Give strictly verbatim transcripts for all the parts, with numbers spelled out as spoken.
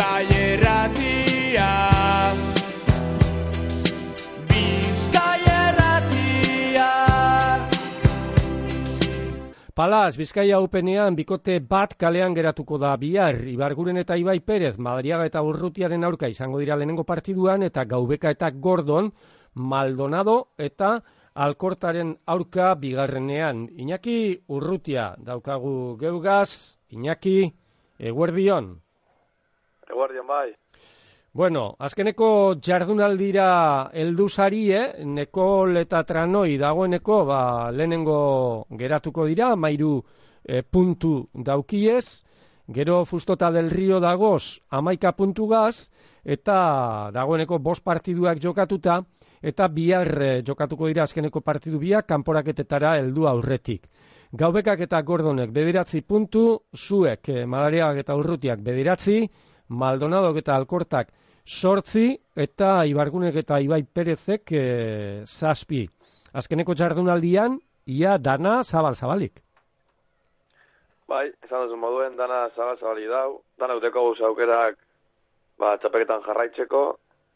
Bizkai Erratia. Bizkai Erratia. Palas, Bizkaia Openean bikote bat kalean geratuko da bihar. Ibarguren eta Ibai Perez, Madariaga eta Urrutiaren aurka izango dira lehenengo partiduan, eta Gaubeka eta Gordon, Maldonado eta Alkortaren aurka bigarrenean. Iñaki Urrutia daukagu geugaz. Iñaki, eguerdion. Eguerdion bai. Bueno, azkeneko jardunaldira heldu sarie, Nekol eta Tranoi dagoeneko ba, lehenengo geratuko dira, mairu e, puntu daukiez, gero Fustota del Rio dagoz amaika puntugaz, eta dagoeneko bost partiduak jokatuta, eta bihar e, jokatuko dira azkeneko partidu biak kanporaketetara heldu aurretik. Gaubekak eta Gordonek bederatzi puntu, Zuek, e, Madariagak eta Urrutiak bederatzi, Maldonadok eta Alkortak sortzi, eta Ibargunek eta Ibai Perezek e, zazpi. Azkeneko jardunaldian, ia dana zabal-zabalik. Bai, esan duzu moduen, dana zabal-zabalik dau, dana uteko guz aukerak ba, txapeketan jarraitzeko,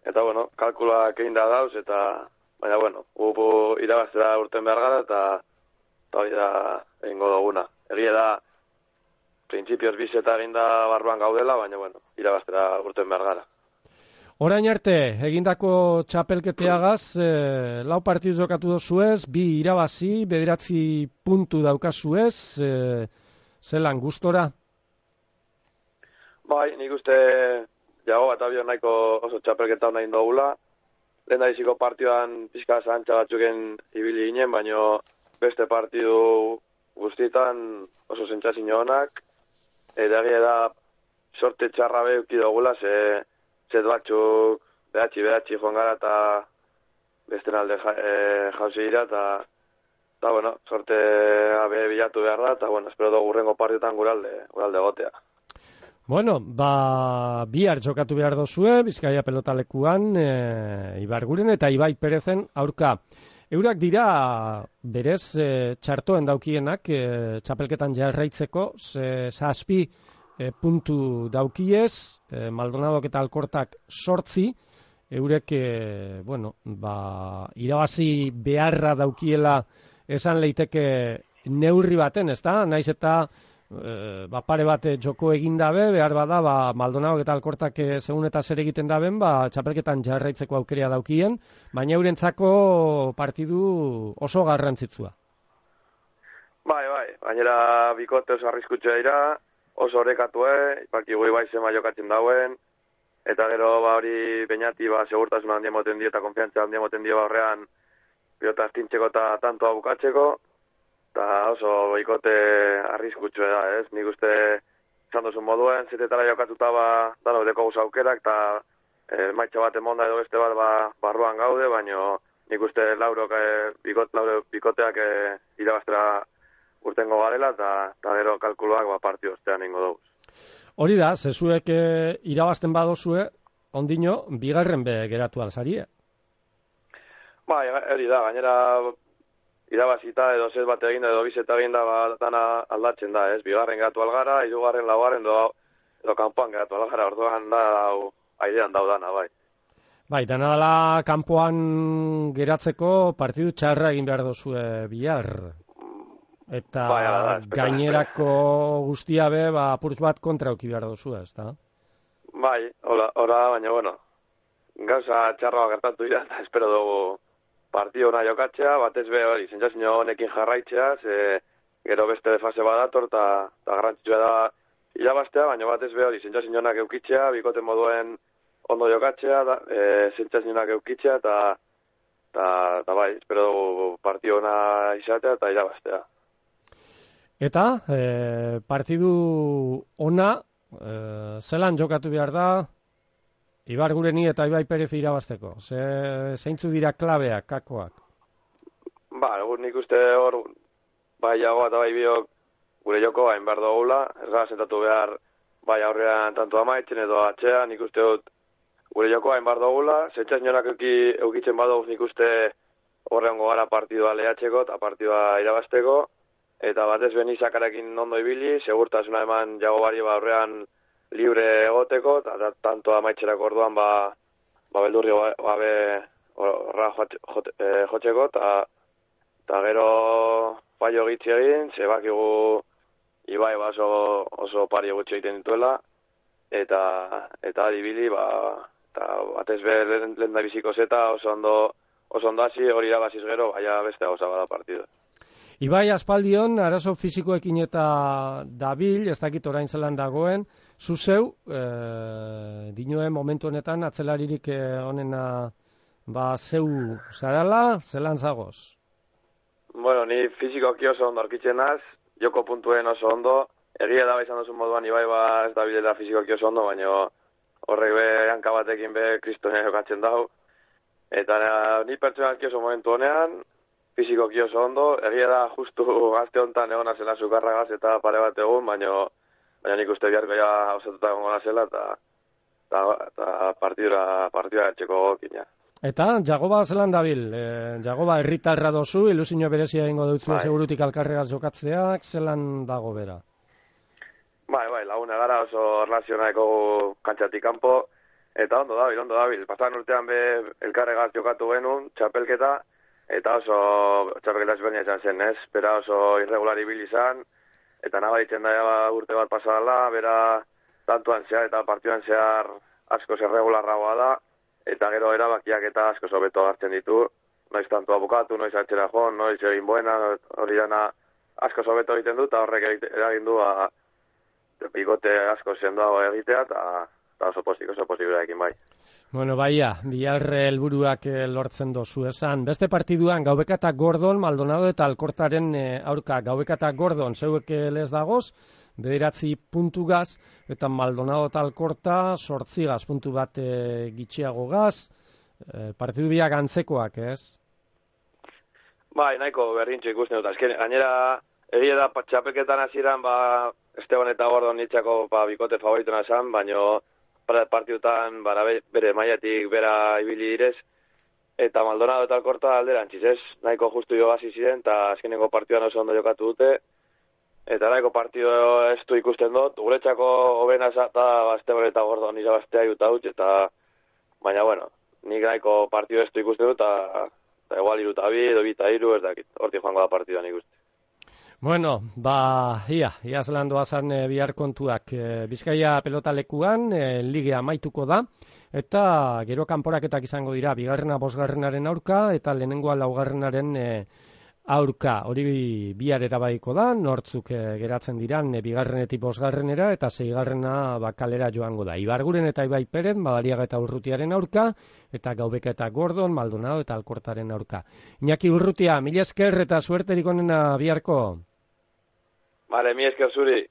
eta bueno, kalkuloak egin da dauz, eta baina bueno, gupu irabaztera urten behar gara, eta eta hori da egingo duguna. Egia da, printzipioz bizeta egin da barruan gaudela, baina bueno, irabaztera urten behar gara. Orain arte, egindako txapelketeagaz, eh, lau partidu jokatu dozuez, bi irabazi, bederatzi puntu daukazuez, eh, zelan gustora? Bai, nik uste jago bat abio nahiko oso txapelketa hona indogula. Lehen da iziko partioan pixka zahantza batzuken ibili ginen, baino beste partidu guztietan oso zentzazin honak, eta egia da sorte txarra behuki dugula, ze zet batzuk behatzi behatzi joan gara eta besten alde ja, e, jauzi dira, eta eta bueno, sorte abe bilatu behar da, eta bueno, espero dugu urrengo partiotan guralde, guralde gotea. Bueno, ba, bihar jokatu behar dozue, Bizkaia pelotalekuan, e, Ibarguren eta Ibai Perezen aurka. Eurak dira berez e, txartoen daukienak e, txapelketan jarraitzeko, ze zazpi e, puntu daukiez, e, Maldonadok eta Alkortak sortzi, eurek, e, bueno, ba, irabazi beharra daukiela esan leiteke neurri baten, ezta? Naiz eta e, ba, pare bat joko egin dabe, behar bada, ba, Maldonadok eta Alkortak e, segun eta zer egiten daben, ba, txapelketan jarraitzeko aukerea daukien, baina eurentzako partidu oso garrantzitsua. Bai, bai, gainera bikote oso arriskutxea dira, oso orekatue, ipakigu Ibai zema jokatzen dauen, eta gero ba hori Beñati ba segurtasun handia moten dio eta konfiantza handia moten dio horrean pilota astintzeko eta tantoa bukatzeko, eta oso bikote arriskutsua da, ez? Nik uste izan duzun moduen, zetetara jokatuta ba dano deko guz aukerak, eta e, maitxa bat emonda edo beste bat ba, barruan gaude, baino nik uste laurok e, bikot, lauro, bikoteak e, irabaztera urtengo garela, eta gero kalkuloak ba, partio ostean ingo dugu. Hori da, zezuek e, irabazten badozue, ondino, bigarren be geratu alzarie. Bai, hori da, gainera irabazita edo zez bat eginda edo bizeta eginda ba, dana aldatzen da, ez? Bigarren geratu algara, hirugarren laugarren edo, edo kanpoan geratu algara, orduan da, aidean daudana, bai. Bai, dana dela kanpoan geratzeko partidu txarra egin behar dozue bihar. Eta bai, da, gainerako guztia be, ba, apurtz bat kontra auki behar dozue, ez da? Bai, hola, hola, baina, bueno, gauza txarroa gertatu dira, eta espero dugu partio ona jokatzea, batez be hori, sentsazio honekin jarraitzea, ze gero beste fase badator, eta garrantzitsua da irabaztea, baina batez be hori, sentsazio honak eukitzea, bikote moduen ondo jokatzea, da, e, sentsazio honak eukitzea, eta eta bai, espero dugu partio ona izatea eta irabaztea. Eta, e, partidu ona, e, zelan jokatu behar da, Ibargureni eta Ibai Perez irabazteko? Ze, zeintzu dira klabeak, kakoak? Ba, nik uste hor, bai jago eta bai biok gure joko hain behar dugula, ez gara sentatu behar bai aurrean tanto amaitzen edo atxean, nik uste dut gure joko hain behar dugula, zentzaz nionak eukitzen badoguz nik uste horreango gara partidua lehatzeko eta partidua irabazteko, eta batez benizakarekin ondo ibili, segurtasuna eman jago bari ba aurrean libre egoteko, eta tanto amaitxerako orduan ba, ba beldurri gabe horra jotzeko, eta gero fallo gitzi egin, zebakigu Ibai ba oso, oso pari gutxi egiten dituela, eta eta adibili, ba, eta batez be lehen da biziko zeta oso ondo, oso ondo hasi, hori irabaziz gero, baina beste gauza bada partida. Ibai aspaldion, arazo fisikoekin eta dabil, ez dakit orain zelan dagoen, zu zeu, e, dinoen momentu honetan, atzelaririk honena ba, zeu zarala, zelan zagoz? Bueno, ni fisikoki oso ondo arkitzen naz, joko puntuen oso ondo, egia da izan duzun moduan Ibai ba ez da bilela fisikoki oso ondo, baina horrek be hanka batekin be kristonia jokatzen dau, eta ni pertsonalki oso momentu honean, fisikoki oso ondo, egia da justu gazte honetan egon azela sukarragaz eta pare bat egun, baina baina nik uste biharko ja osatuta egon azela, eta, eta, eta partidura, partidura etxeko gokina. Eta, Jagoba zelan dabil, e, Jagoba herritarra dozu, ilusio berezia egingo dutzuen segurutik alkarregaz jokatzeak, zelan dago bera? Bai, bai, laguna gara oso relazionaeko kantxatik kanpo, eta ondo dabil, ondo dabil. Pasan urtean be elkarregaz jokatu genuen, txapelketa, eta oso txapelketa ezberdina izan zen, ez? Bera oso irregular ibili izan, eta nabaritzen da urte bat pasadala, bera tantuan zehar eta partiduan zehar asko irregularragoa da, eta gero erabakiak eta asko sobeto hartzen ditu, noiz tantu abokatu, noiz atxera jo, noiz egin buena, hori dana asko sobeto egiten du, eta horrek eragin du a, bikote asko sendoago egitea, eta oso posik, oso posiblearekin bai. Bueno, baia, bihar helburuak lortzen dozu esan. Beste partiduan, Gaubeka eta Gordon, Maldonado eta Alkortaren aurka. Gaubeka eta Gordon, zeuek lez dagoz, bederatzi puntugaz, eta Maldonado eta Alkorta, sortzigaz, puntu bat e, gitxiago gaz. E, partidu biak antzekoak, ez? Bai, nahiko berdintxo ikusten dut. Azken, gainera, egia da txapelketan hasieran ba, Esteban eta Gordon nitzako ba, bikote favoritona esan, baino partidutan bara, bere maiatik bera ibili direz, eta Maldonado eta Alkorta alderantziz, ez? Nahiko justu jo gazi ziren, eta azkeneko partiduan oso ondo jokatu dute, eta nahiko partidu ez du ikusten dut, guretzako hobena da ba, Esteban eta Gordon irabaztea juta dut, eta baina, bueno, nik nahiko partidu ez du ikusten dut, eta, eta igual iruta bi, edo bita iru, ez dakit, hortik joango da partidua nik uste. Bueno, ba, ia, ia zelan doazan e, bihar kontuak. E, Bizkaia pelotalekuan, e, ligea amaituko da, eta gero kanporaketak izango dira, bigarrena bosgarrenaren aurka, eta lehenengoa laugarrenaren e, aurka. Hori bihar erabaiko da, nortzuk e, geratzen diran, e, bigarrenetik bosgarrenera, eta seigarrena bakalera joango da. Ibarguren eta Ibai Peren, Madariaga eta Urrutiaren aurka, eta Gaubeka eta Gordon, Maldonado eta Alkortaren aurka. Iñaki Urrutia, mila esker eta suerterik onena biharko. Vale, mi esker zuri.